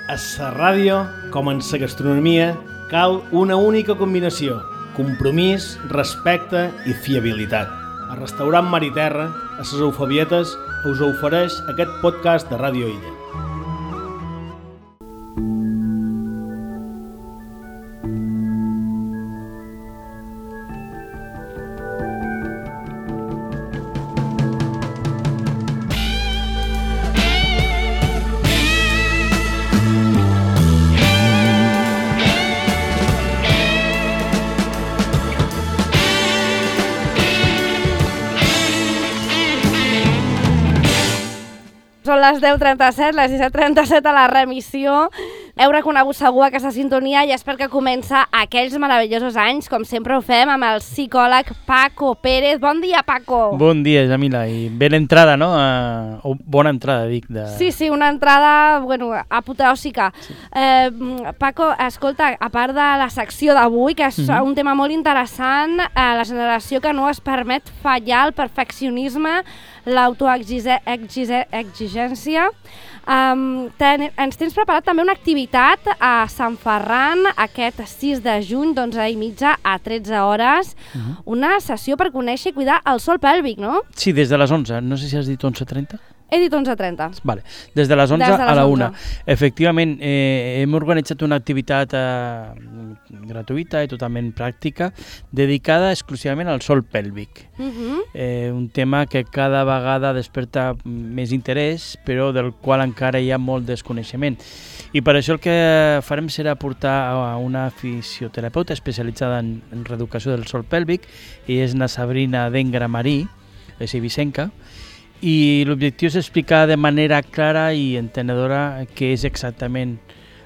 A la ràdio, com en la gastronomia, cal una única combinació: compromís, respecte i fiabilitat. El restaurant Mar i Terra, a les Eufebietes, us ofereix aquest podcast de Ràdio Illa. Són les 10:37, les 17:37 a la remissió. Heu reconegut segur aquesta sintonia i és perquè comença aquells meravellosos anys, com sempre ho fem, amb el psicòleg Paco Pérez. Bon dia, Paco! Bon dia, Jamila, i bé l'entrada, no? Bona entrada, dic. Sí, una entrada, apoteòsica. Sí. Paco, escolta, a part de la secció d'avui, que és un tema molt interessant, la generació que no es permet fallar, el perfeccionisme, l'autoexigència. Ens tens preparat també una activitat a Sant Ferran aquest 6 de juny, d'11:30 a 13 hores. Una sessió per conèixer i cuidar el sòl pèlvic, no? Sí, des de les 11. No sé si has dit 11:30. He dit 11:30. Vale. Des de les 11 a la 1. Efectivament, hem organitzat una activitat gratuïta i totalment pràctica dedicada exclusivament al sòl pèlvic. Un tema que cada vegada desperta més interès, però del qual encara hi ha molt desconeixement. I per això el que farem serà portar a una fisioterapeuta especialitzada en reeducació del sòl pèlvic, i és na Sabrina Dengramarí, és eivissenca, i l'objectiu és explicar de manera clara i entenedora què és exactament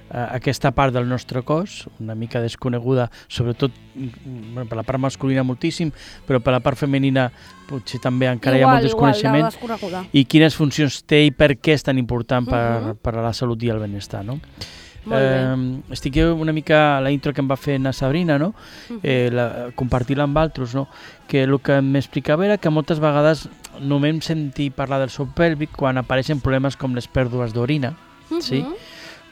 aquesta part del nostre cos, una mica desconeguda, sobretot per la part masculina moltíssim, però per la part femenina potser també encara hi ha molt desconeixement, i quines funcions té i per què és tan important per a la salut i el benestar, no? Estic una mica la intro que em va fer na Sabrina, no? Compartir-la amb altres, no? Que el que m'explicava era que moltes vegades no m'hem sentit parlar del sòl pèlvic quan apareixen problemes com les pèrdues d'orina, sí?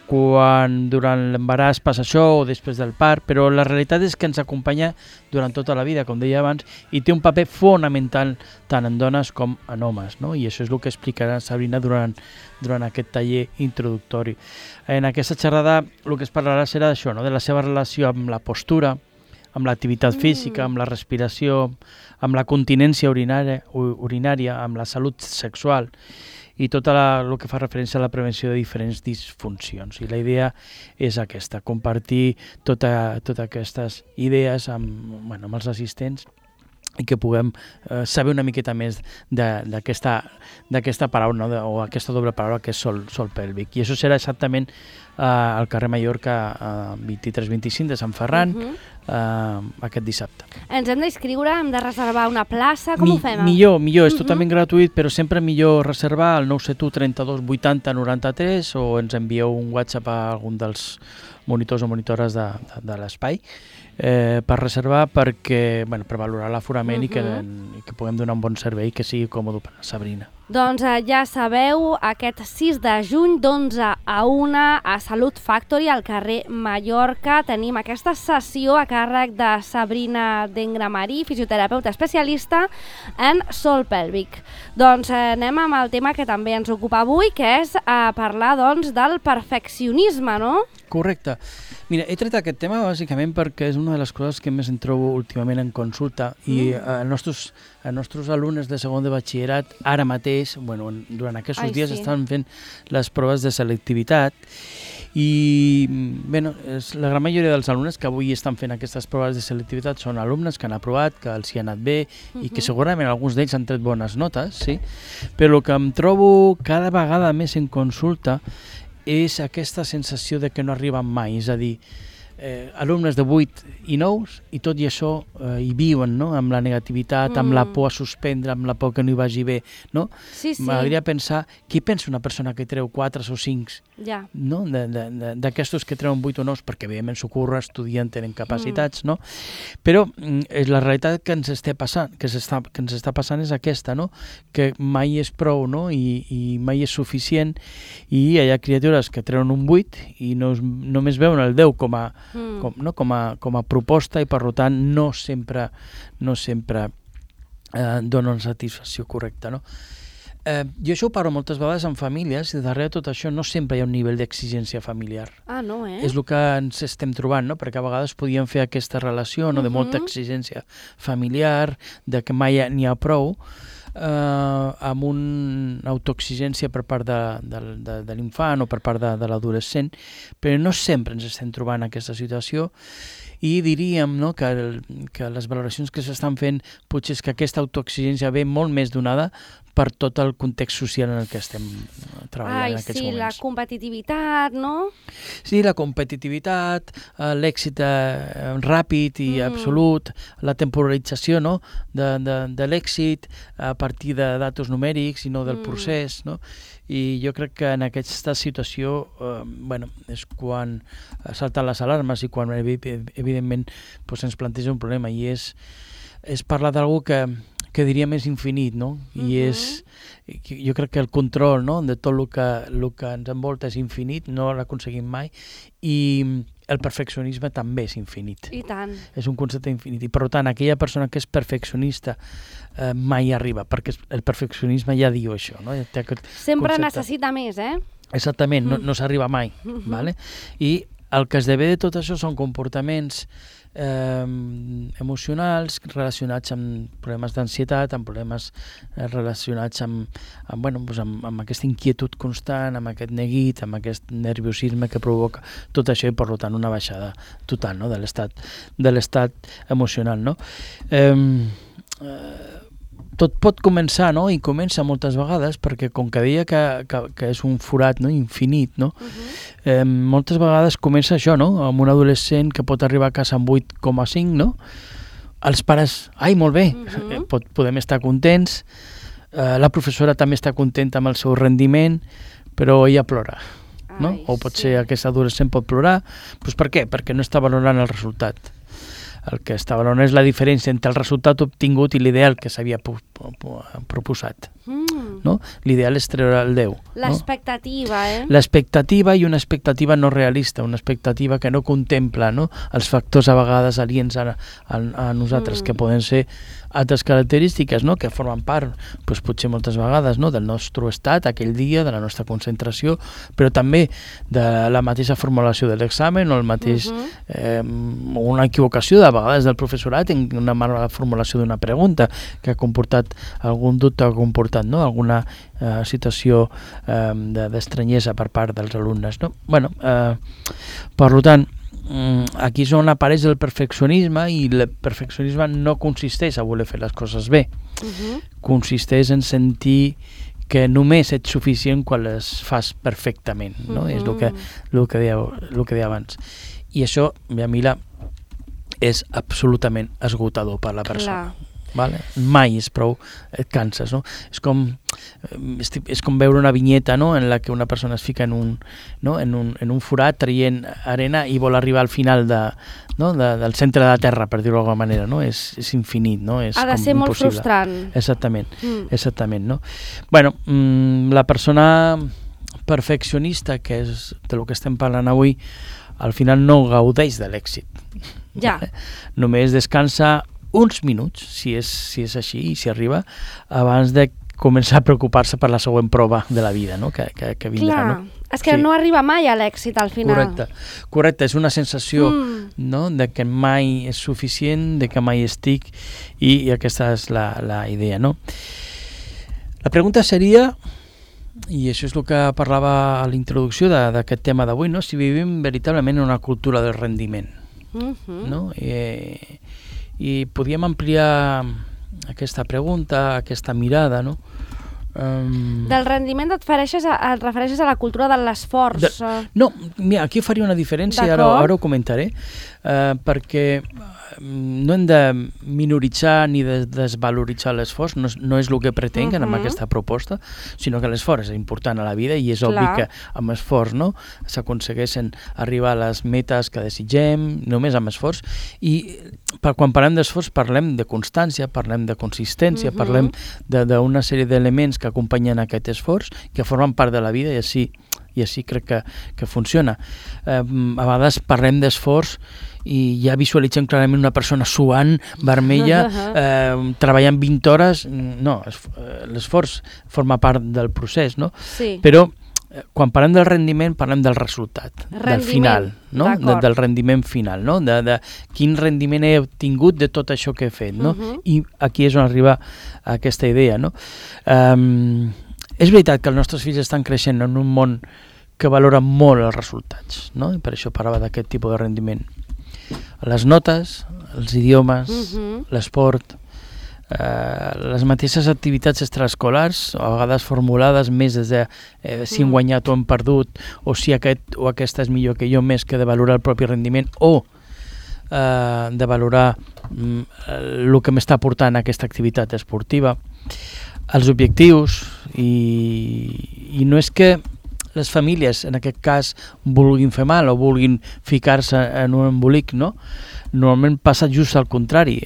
Quan durant l'embaràs passa això o després del part, però la realitat és que ens acompanya durant tota la vida, com deia abans, i té un paper fonamental tant en dones com en homes, no? I això és el que explicarà Sabrina durant aquest taller introductori. En aquesta xerrada el que es parlarà serà d'això, no? De la seva relació amb la postura, amb l'activitat física, amb la respiració, amb la continència urinària, amb la salut sexual, i tot el que fa referència a la prevenció de diferents disfuncions. I la idea és aquesta, compartir totes aquestes idees amb els assistents i que puguem saber una miqueta més d'aquesta paraula, no? O aquesta doble paraula que és sòl pèlvic. I això serà exactament al carrer Mallorca 23-25 de Sant Ferran aquest dissabte. Ens hem d'inscriure, hem de reservar una plaça, com ho fem? Millor, és totalment gratuït, però sempre millor reservar al 971 32 80 93 o ens envieu un WhatsApp a algun dels monitors o monitores de l'espai per reservar, per valorar l'aforament i que puguem donar un bon servei que sigui còmode per a Sabrina. Doncs ja sabeu, aquest 6 de juny d'11 a 1 a Salut Factory, al carrer Mallorca, tenim aquesta sessió a càrrec de Sabrina Dengramarí, fisioterapeuta especialista en sòl pèlvic. Doncs anem amb el tema que també ens ocupa avui, que és parlar del perfeccionisme, no? Correcte. Mira, he tret aquest tema bàsicament perquè és una de les coses que més em trobo últimament en consulta i els nostres alumnes de segon de batxillerat ara mateix, durant aquests dies estan fent les proves de selectivitat i la gran majoria dels alumnes que avui estan fent aquestes proves de selectivitat són alumnes que han aprovat, que els hi ha anat bé i que segurament alguns d'ells han tret bones notes, sí? Però el que em trobo cada vegada més en consulta és aquesta sensació de que no arriben mai, és a dir, alumnes de 8 i 9 i tot i això hi viuen, no? Amb la negativitat, amb la por a suspendre, amb la por que no hi vagi bé, no? Sí. M'agradaria pensar, qui pensa una persona que treu 4 o 5, no? D'aquestos que treuen 8 o 9, perquè evidentment s'ocorre, estudien, tenen capacitats, no? Però la realitat que ens està passant és aquesta, no? Que mai és prou, no? I mai és suficient, i hi ha criatures que treuen un 8 i només veuen el 10 com a proposta, i per tant no sempre dona una satisfacció correcta, no? Jo això ho parlo moltes vegades amb famílies, i darrere tot això no sempre hi ha un nivell d'exigència familiar. No, És el que ens estem trobant, no? Perquè a vegades podíem fer aquesta relació, no? De molta exigència familiar, de que mai n'hi ha prou, amb una autoexigència per part de l'infant o per part de l'adolescent, però no sempre ens estem trobant aquesta situació, i diríem, no, que les valoracions que s'estan fent potser és que aquesta autoexigència ve molt més donada per tot el context social en el que estem treballant en aquests moments. La competitivitat, no? Sí, la competitivitat, l'èxit ràpid i absolut, la temporalització, no? de l'èxit a partir de datos numèrics i no del procés, no? I jo crec que en aquesta situació és quan salten les alarmes i quan evidentment ens planteja un problema, i és parlar d'algú que diríem és infinit, no? I jo crec que el control, no? De tot el que ens envolta és infinit, no l'aconseguim mai, i el perfeccionisme també és infinit. I tant. És un concepte infinit, i per tant aquella persona que és perfeccionista mai arriba, perquè el perfeccionisme ja diu això, no? Sempre necessita més, Exactament, no s'arriba mai, vale? I el que esdevé de tot això són comportaments emocionals relacionats amb problemes d'ansietat, amb problemes relacionats amb aquesta inquietud constant, amb aquest neguit, amb aquest nerviosisme que provoca tot això, i per tant una baixada total, no? de l'estat emocional, no? Tot pot començar, no? I comença moltes vegades, perquè com que deia que és un forat, no? Infinit, no? Moltes vegades comença això, no? Amb un adolescent que pot arribar a casa amb 8,5, no? Els pares, molt bé, podem estar contents, la professora també està contenta amb el seu rendiment, però ella plora, no? O potser aquest adolescent pot plorar, doncs per què? Perquè no està valorant el resultat. El que està valorant és la diferència entre el resultat obtingut i l'ideal que s'havia proposat. No? L'ideal és treure el 10. L'expectativa, L'expectativa, i una expectativa no realista, una expectativa que no contempla, no? Els factors a vegades aliens a nosaltres, que poden ser altres característiques, no? Que formen part, doncs, potser moltes vegades, no? Del nostre estat aquell dia, de la nostra concentració, però també de la mateixa formulació de l'examen, o el mateix una equivocació de vegades del professorat en una mala formulació d'una pregunta que ha comportat algun dubte, ha comportat, no? Alguna situació d'estranyesa per part dels alumnes, no? Per tant, aquí és on apareix el perfeccionisme, i el perfeccionisme no consisteix a voler fer les coses bé, consisteix en sentir que només ets suficient quan les fas perfectament, no? És el que deia abans, i això, Mila, és absolutament esgotador per la persona. Vale? Mai és prou, et canses, no? És com veure una vinyeta, no? En la que una persona es fica en un forat traient arena i vol arribar al final del centre de la terra, per dir-ho d'alguna manera, no? És infinit, no? Ha de ser molt frustrant. Exactament, no? La persona perfeccionista, que és de lo que estem parlant avui, al final no gaudeix de l'èxit. Només descansa uns minuts, si és així i si arriba, abans de començar a preocupar-se per la següent prova de la vida, no? que vindrà. Clar, no? És que no arriba mai a l'èxit al final. Correcte, és una sensació, no? De que mai és suficient, de que mai estic, i aquesta és la idea, no? La pregunta seria, i això és el que parlava a la introducció d'aquest tema d'avui, no? Si vivim veritablement en una cultura del rendiment, no? I podíem ampliar aquesta pregunta, aquesta mirada, no? Del rendiment et refereixes a la cultura de l'esforç? No, mira, aquí faria una diferència, ara ho comentaré, perquè no hem de minoritzar ni de desvaloritzar l'esforç, no és el que pretenc amb aquesta proposta, sinó que l'esforç és important a la vida i és obvi que amb esforç s'aconsegueixen arribar a les metes que desitgem, només amb esforç, i quan parlem d'esforç parlem de constància, parlem de consistència, parlem d'una sèrie d'elements que acompanyen aquest esforç, que formen part de la vida i així crec que funciona. A vegades parlem d'esforç i ja visualitzem clarament una persona suant, vermella, treballant 20 hores. No, l'esforç forma part del procés, no? Sí. Però quan parlem del rendiment, parlem del resultat, del final, no? Del rendiment final, no? De quin rendiment he obtingut de tot això que he fet, no? I aquí és on arriba aquesta idea, no? És veritat que els nostres fills estan creixent en un món que valora molt els resultats, no? I per això parlava d'aquest tipus de rendiment. Les notes, els idiomes, l'esport, les mateixes activitats extraescolars, a vegades formulades més des de si hem guanyat o hem perdut, o si aquest o aquesta és millor que jo, més que de valorar el propi rendiment, o de valorar el que m'està aportant aquesta activitat esportiva, els objectius, i no és que les famílies, en aquest cas, vulguin fer mal o vulguin ficar-se en un embolic, no? Normalment passa just al contrari.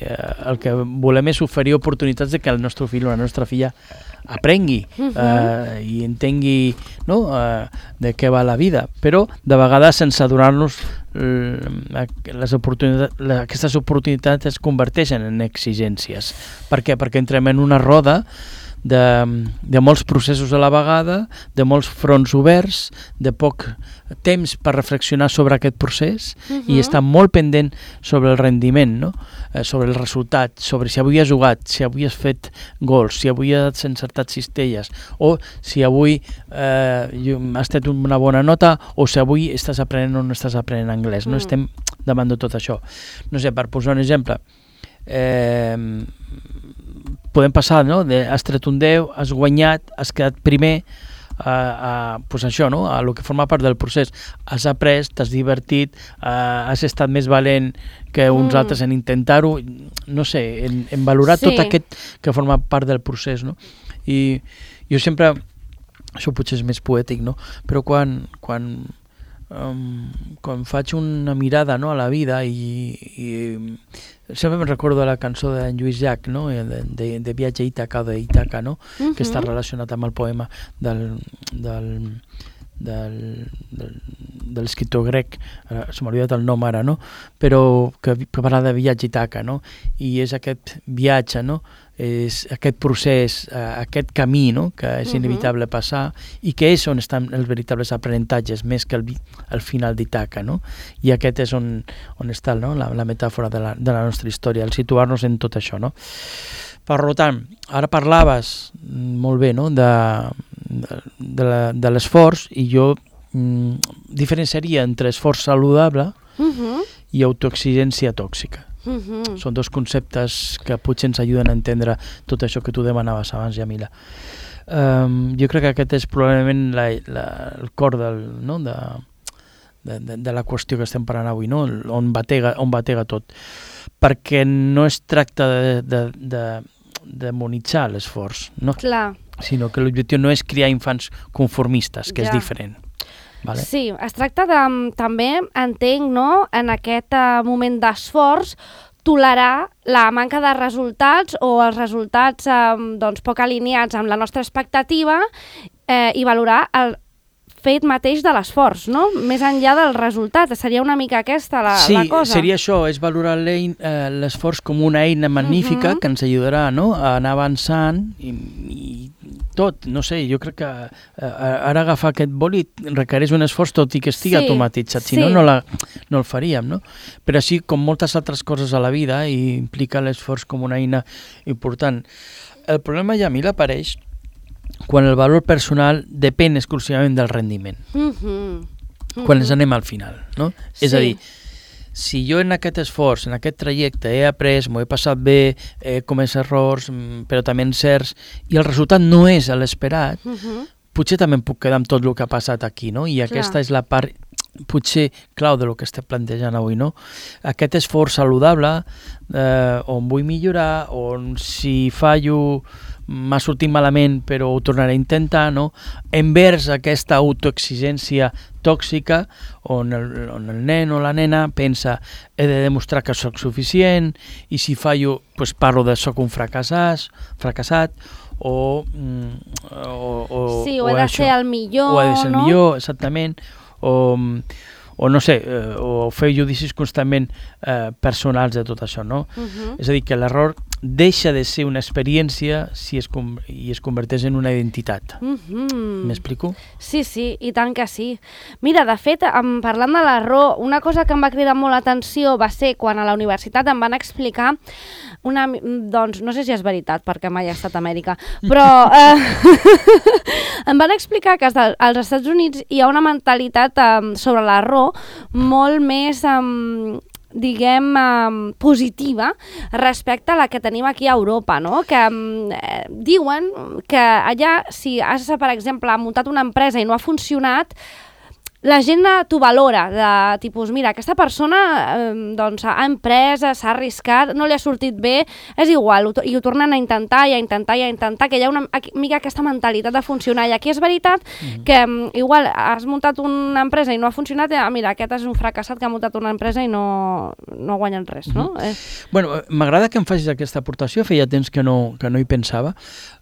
El que volem és oferir oportunitats de que el nostre fill o la nostra filla aprengui i entengui, no? De què va la vida, però de vegades sense adonar-nos aquestes oportunitats es converteixen en exigències. Per què? Perquè entrem en una roda de molts processos a la vegada, de molts fronts oberts, de poc temps per reflexionar sobre aquest procés i estar molt pendent sobre el rendiment, no? Sobre el resultat, sobre si avui has jugat, si avui has fet gols, si avui has encertat cistelles, o si avui has tret una bona nota, o si avui estàs aprenent o no estàs aprenent anglès. No estem davant de tot això. No sé, per posar un exemple, podem passar, no? Has tret un 10, has guanyat, has quedat primer, pues això, no? A lo que forma part del procés. Has après, t'has divertit, has estat més valent que uns altres en intentar-ho, no sé, en valorar tot aquest que forma part del procés, no? I jo sempre, això potser és més poètic, no? Però quan faig una mirada, no, a la vida i sempre me'n recordo de la cançó d'en Lluís Llach, no? de Viatge a Ítaca o d'Ítaca, no? Que està relacionat amb el poema de l'escriptor grec, se m'ha oblidat el nom ara, no? Però que parla de viatge a Ítaca, no? I és aquest viatge, no? És aquest procés, aquest camí, no? Que és inevitable passar i que és on estan els veritables aprenentatges més que el final d'Ítaca, no? I aquest és on està, no? la metàfora de la nostra història, el situar-nos en tot això, no? Per tant, ara parlaves molt bé, no? de l'esforç, i jo diferenciaria entre esforç saludable i autoexigència tòxica. Són dos conceptes que potser ens ajuden a entendre tot això que tu demanaves abans, Yamila. Jo crec que aquest és probablement el cor de la qüestió que estem parlant avui, no? On batega tot. Perquè no es tracta de demonitzar l'esforç, no? Clar. Sinó que l'objectiu no és criar infants conformistes, que és diferent. Vale? Sí, es tracta també, entenc, no? En aquest moment d'esforç, tolerar la manca de resultats o els resultats poc alineats amb la nostra expectativa i valorar el fet mateix de l'esforç, no? Més enllà del resultat. Seria una mica aquesta la cosa. Sí, seria això, és valorar l'esforç com una eina magnífica que ens ajudarà, no? A anar avançant i tot, no sé, jo crec que ara agafar aquest boli requereix un esforç tot i que estigui automatitzat, si no, no el faríem, no? Però així, com moltes altres coses a la vida, i implica l'esforç com una eina important. El problema, Yamila, apareix quan el valor personal depèn exclusivament del rendiment. Quan ens anem al final, no? És a dir, si jo en aquest esforç, en aquest trajecte he après, m'ho he passat bé, he comès errors, però també encerts, i el resultat no és l'esperat, potser també em puc quedar amb tot el que ha passat aquí, no? I aquesta és la part potser clau de lo que estem plantejant avui, no? Aquest esforç saludable on vull millorar, on si fallo m'ha sortit malament però ho tornaré a intentar, no? Envers aquesta autoexigència tòxica on el nen o la nena pensa he de demostrar que sóc suficient i si fallo pues parlo de sóc un fracassat o sí, o he de ser el millor, o he de ser el millor, exactament, o no sé, o fer judicis constantment personals de tot això, no? És a dir, que l'error deixa de ser una experiència i es converteix en una identitat. M'explico? Sí, i tant que sí. Mira, de fet, parlant de l'error, una cosa que em va cridar molt l'atenció va ser quan a la universitat em van explicar doncs no sé si és veritat perquè mai he estat a Amèrica, però em van explicar que als Estats Units hi ha una mentalitat sobre l'error molt més positiva respecte a la que tenim aquí a Europa, no? Que diuen que allà, si has, per exemple, muntat una empresa i no ha funcionat, la gent t'ho valora, de tipus, mira, aquesta persona doncs, ha emprès, s'ha arriscat, no li ha sortit bé, és igual, i ho tornen a intentar, que hi ha una mica aquesta mentalitat de funcionar. I aquí és veritat que igual has muntat una empresa i no ha funcionat, mira, aquest és un fracassat que ha muntat una empresa i no ha guanyat res, no? Bueno, m'agrada que em facis aquesta aportació, feia temps que no hi pensava,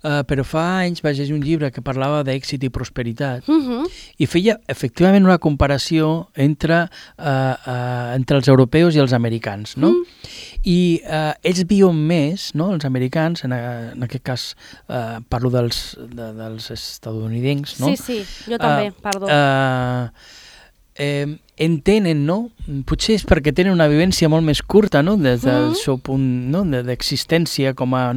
però fa anys vaig llegir un llibre que parlava d'èxit i prosperitat i feia efectivament una comparació entre els europeus i els americans, no? I ells viuen més, no? Els americans, en aquest cas parlo dels estatunidencs, no? Sí, jo també, perdó. Entenen, no? Potser és perquè tenen una vivència molt més curta, no? Des del seu punt, no? D'existència com a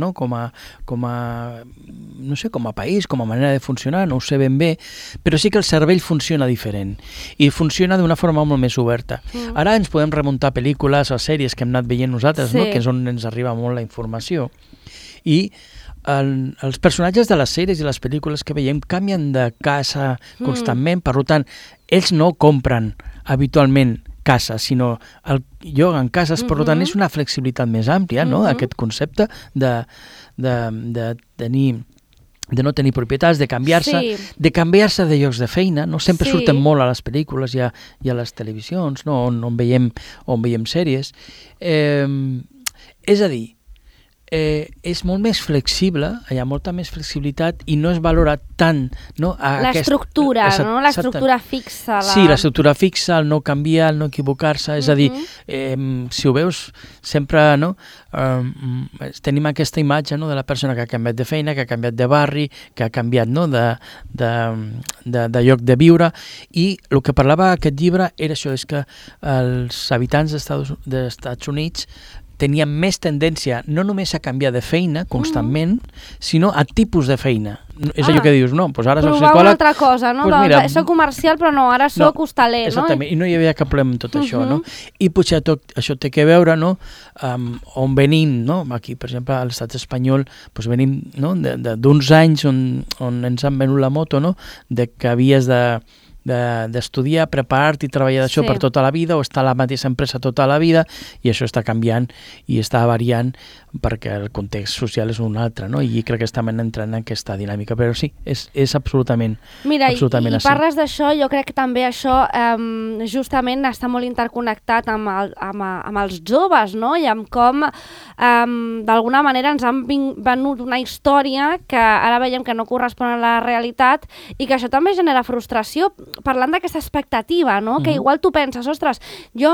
país, com a manera de funcionar, no ho sé ben bé, però sí que el cervell funciona diferent i funciona d'una forma molt més oberta. Ara ens podem remuntar a pel·lícules o sèries que hem anat veient nosaltres, no? Que és on ens arriba molt la informació. I els personatges de les sèries i les pel·lícules que veiem canvien de casa constantment, per tant, ells no compren habitualment cases, sinó lloguen cases, per tant, és una flexibilitat més àmplia, no?, aquest concepte de no tenir propietats, de canviar-se de llocs de feina, no? Sempre surten molt a les pel·lícules i a les televisions, no? on veiem sèries. És a dir, és molt més flexible, hi ha molta més flexibilitat i no es valora tant, no? L'estructura, no? L'estructura fixa. Sí, l'estructura fixa, el no canviar, el no equivocar-se, és a dir, si ho veus, sempre, no? Tenim aquesta imatge, no? De la persona que ha canviat de feina, que ha canviat de barri, que ha canviat, no? de lloc de viure, i el que parlava aquest llibre era això, és que els habitants dels Estats Units tenien més tendència no només a canviar de feina constantment, sinó a tipus de feina. És allò que dius, no, doncs ara soc psicòleg... Provar una altra cosa, no? Soc comercial, però no, ara soc hostaler, no? Exactament, i no hi havia cap problema amb tot això, no? I potser això té que veure, no?, on venim, no? Aquí, per exemple, a l'estat espanyol, venim d'uns anys on ens han venut la moto, no?, de que havies d'estudiar, preparar-te i treballar d'això per tota la vida o estar a la mateixa empresa tota la vida, i això està canviant i està variant perquè el context social és un altre, no? I crec que estem entrant en aquesta dinàmica, però sí, és absolutament Mira, absolutament i parles d'això, jo crec que també això justament està molt interconnectat amb els joves, no? I amb com d'alguna manera ens han venut una història que ara veiem que no correspon a la realitat i que això també genera frustració, parlant d'aquesta expectativa, no? Que igual tu penses, ostres, jo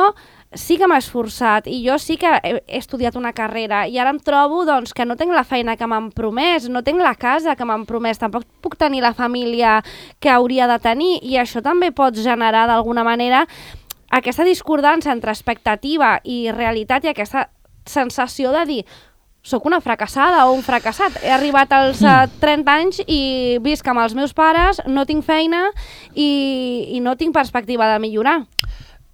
sí que m'he esforçat i jo sí que he estudiat una carrera i ara em trobo doncs, que no tinc la feina que m'han promès, no tinc la casa que m'han promès, tampoc puc tenir la família que hauria de tenir, i això també pot generar d'alguna manera aquesta discordança entre expectativa i realitat i aquesta sensació de dir soc una fracassada o un fracassat. He arribat als 30 anys i visc amb els meus pares, no tinc feina i no tinc perspectiva de millorar.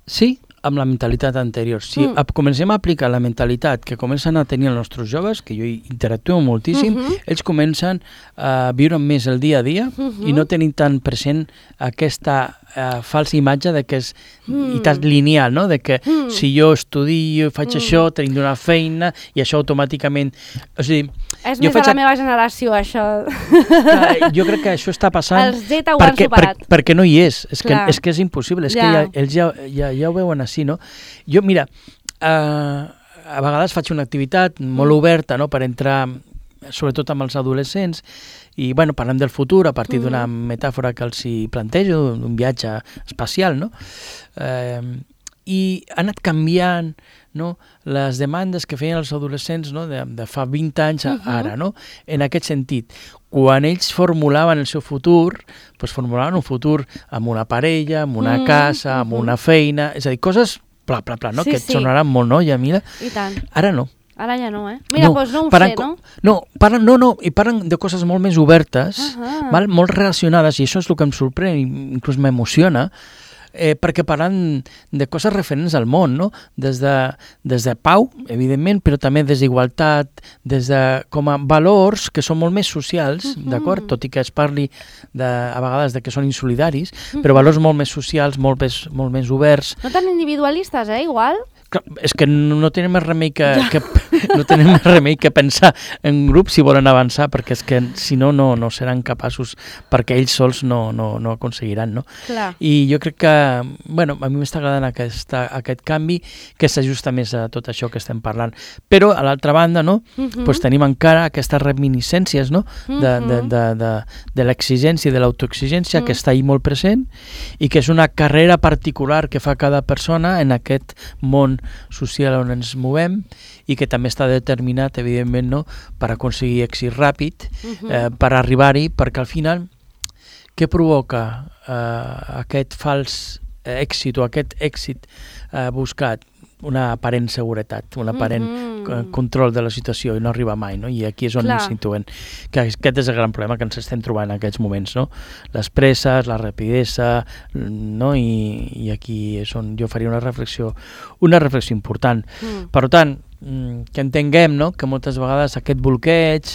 Sí, amb la mentalitat anterior. Si comencem a aplicar la mentalitat que comencen a tenir els nostres joves, que jo interactuo moltíssim, ells comencen a viure més el dia a dia i no tenir tan present aquesta falsa imatge de que és lineal, no? De que si jo estudio, faig això, tinc una feina i això automàticament... O sigui, és més de la meva generació, això. Jo crec que això està passant els Z ho han superat. Perquè no hi és. És que és impossible. És que ells ja ho veuen així, no? Jo, mira, a vegades faig una activitat molt oberta, no?, per entrar sobretot amb els adolescents i, bueno, parlem del futur a partir d'una metàfora que els hi plantejo, d'un viatge espacial, no? I ha anat canviant, no?, les demandes que feien els adolescents, no?, de fa 20 anys a ara, no?, en aquest sentit. Quan ells formulaven el seu futur, doncs formulaven un futur amb una parella, amb una casa, amb una feina, és a dir, coses pla, no?, que et sonaran molt, no, Yamila? I tant. Ara no. Ara ja no, Mira, doncs no ho sé, no? I parlen de coses molt més obertes, molt relacionades, i això és el que em sorprèn, inclús m'emociona, perquè parlen de coses referents al món, no? Des de pau, evidentment, però també des d'igualtat, des de com a valors que són molt més socials, d'acord? Tot i que es parli a vegades de que són insolidaris, però valors molt més socials, molt més oberts. No tan individualistes, igual? És que no tenen més remei que pensar en grup si volen avançar, perquè és que si no seran capaços, perquè ells sols no aconseguiran, no? Clar. I jo crec que, bueno, a mi m'està agradant aquest canvi que s'ajusta més a tot això que estem parlant. Però, a l'altra banda, no? Doncs tenim encara aquestes reminiscències, no? De l'exigència i de l'autoexigència que està ahí molt present i que és una carrera particular que fa cada persona en aquest món social on ens movem i que també està determinat, evidentment, no?, per aconseguir èxit ràpid, per arribar-hi, perquè al final què provoca aquest fals èxit o aquest èxit buscat? Una aparent seguretat, un aparent control de la situació i no arriba mai, no? I aquí és on ens situem. Que aquest és el gran problema que ens estem trobant en aquests moments, no? Les presses, la rapidesa, no? I aquí és on jo faria una reflexió important. Per tant, que entenguem, no?, que moltes vegades aquest bloqueig,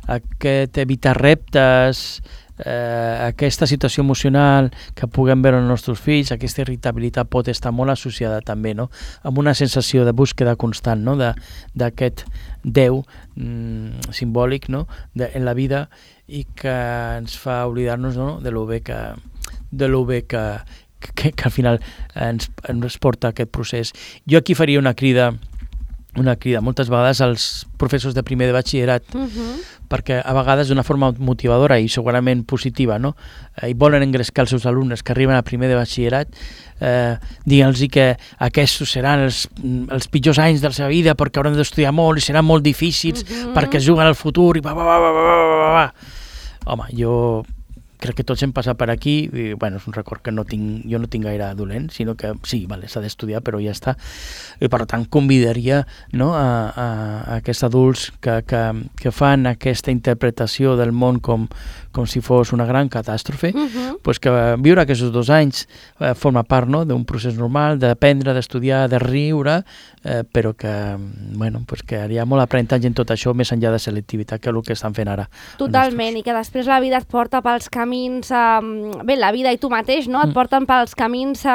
aquest evitar reptes, aquesta situació emocional que puguem veure els nostres fills, aquesta irritabilitat pot estar molt associada també, no?, amb una sensació de búsqueda constant, no?, d'aquest Déu simbòlic, no?, en la vida, i que ens fa oblidar-nos, no?, de lo bé que al final ens porta aquest procés. Jo aquí faria una crida moltes vegades als professors de primer de batxillerat, perquè a vegades d'una forma motivadora i segurament positiva, no?, i volen engrescar els seus alumnes que arriben a primer de batxillerat, dient-los que aquests seran els pitjors anys de la seva vida perquè hauran d'estudiar molt i seran molt difícils perquè juguen al futur i Home, jo crec que tots hem passat per aquí i, bueno, és un record que jo no tinc gaire dolent, sinó que sí, vale, s'ha d'estudiar, però ja està. I per tant convidaria, no, a aquests adults que fan aquesta interpretació del món com si fos una gran catàstrofe, pues que viure aquests 2 anys forma part, no, d'un procés normal, d'aprendre, d'estudiar, de riure, però que, bueno, pues que hi ha molt aprenentatge en tot això, més enllà de selectivitat, que és el que estan fent ara. Totalment, i que després la vida et porta pels camins, bé, la vida i tu mateix, no?, et porten pels camins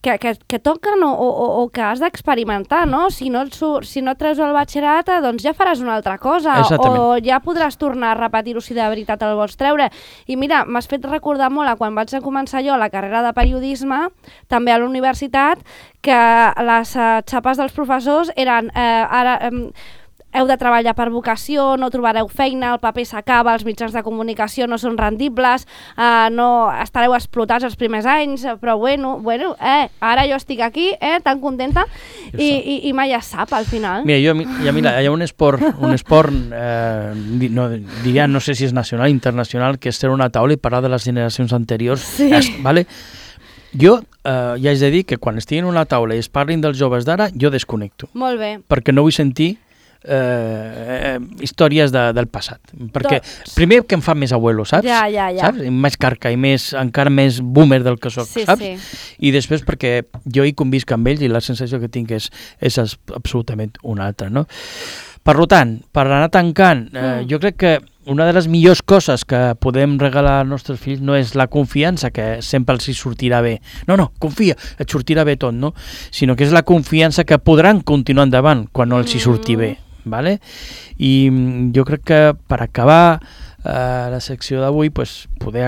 que toquen o que has d'experimentar, no? Si no treus el batxillerat, doncs ja faràs una altra cosa. Exactament. O ja podràs tornar a repetir-ho si de veritat el vols treure. I mira, m'has fet recordar molt a quan vaig començar jo la carrera de periodisme, també a la universitat, que les xapes dels professors eren heu de treballar per vocació, no trobareu feina, el paper s'acaba, els mitjans de comunicació no són rendibles, no estareu explotats els primers anys, però bueno, ara jo estic aquí, tan contenta, i mai es sap al final. Mira, hi ha un esport, no sé si és nacional, internacional, que és ser una taula i parlar de les generacions anteriors. Sí. Vale? Jo ja haig de dir que quan estigui en una taula i es parlin dels joves d'ara, jo desconnecto. Molt bé. Perquè no vull sentir històries del passat. Perquè primer que em fa més abuelo, saps? Ja. Saps? Més carca i encara més boomer del que soc, saps? Sí. I després perquè jo hi convisc amb ells i la sensació que tinc és absolutament una altra, no? Per tant, per anar tancant, jo crec que una de les millors coses que podem regalar als nostres fills no és la confiança, que sempre els hi sortirà bé. No, confia, et sortirà bé tot, no? Sinó que és la confiança que podran continuar endavant quan no els hi surti bé. ¿Vale? I jo crec que per acabar la secció d'avui poder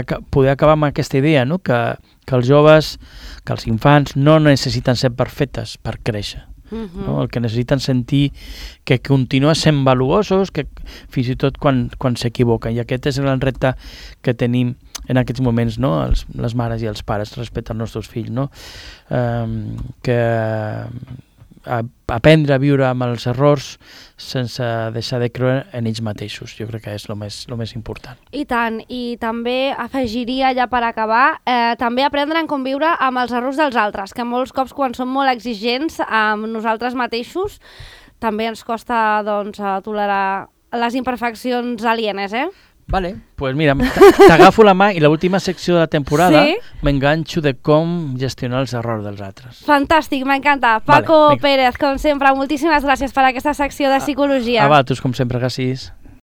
acabar amb aquesta idea, no? Que els joves, que els infants no necessiten ser perfectes per créixer. No? El que necessiten sentir que continuen sent valuosos, que fins i tot quan s'equivoquen, i aquest és el gran repte que tenim en aquests moments, no? Les mares i els pares respecte als nostres fills, no? Que aprendre a viure amb els errors sense deixar de creure en ells mateixos. Jo crec que és el més important. I tant, i també afegiria ja per acabar, també aprendre a conviure amb els errors dels altres, que molts cops quan som molt exigents amb nosaltres mateixos també ens costa tolerar les imperfeccions alienes, Vale, pues mira, t'agafo la mà i l'última secció de la temporada m'enganxo de com gestionar els errors dels altres. Fantàstic, m'encanta. Paco Pérez, com sempre, moltíssimes gràcies per aquesta secció de psicologia. A vosaltres, com sempre, gràcies.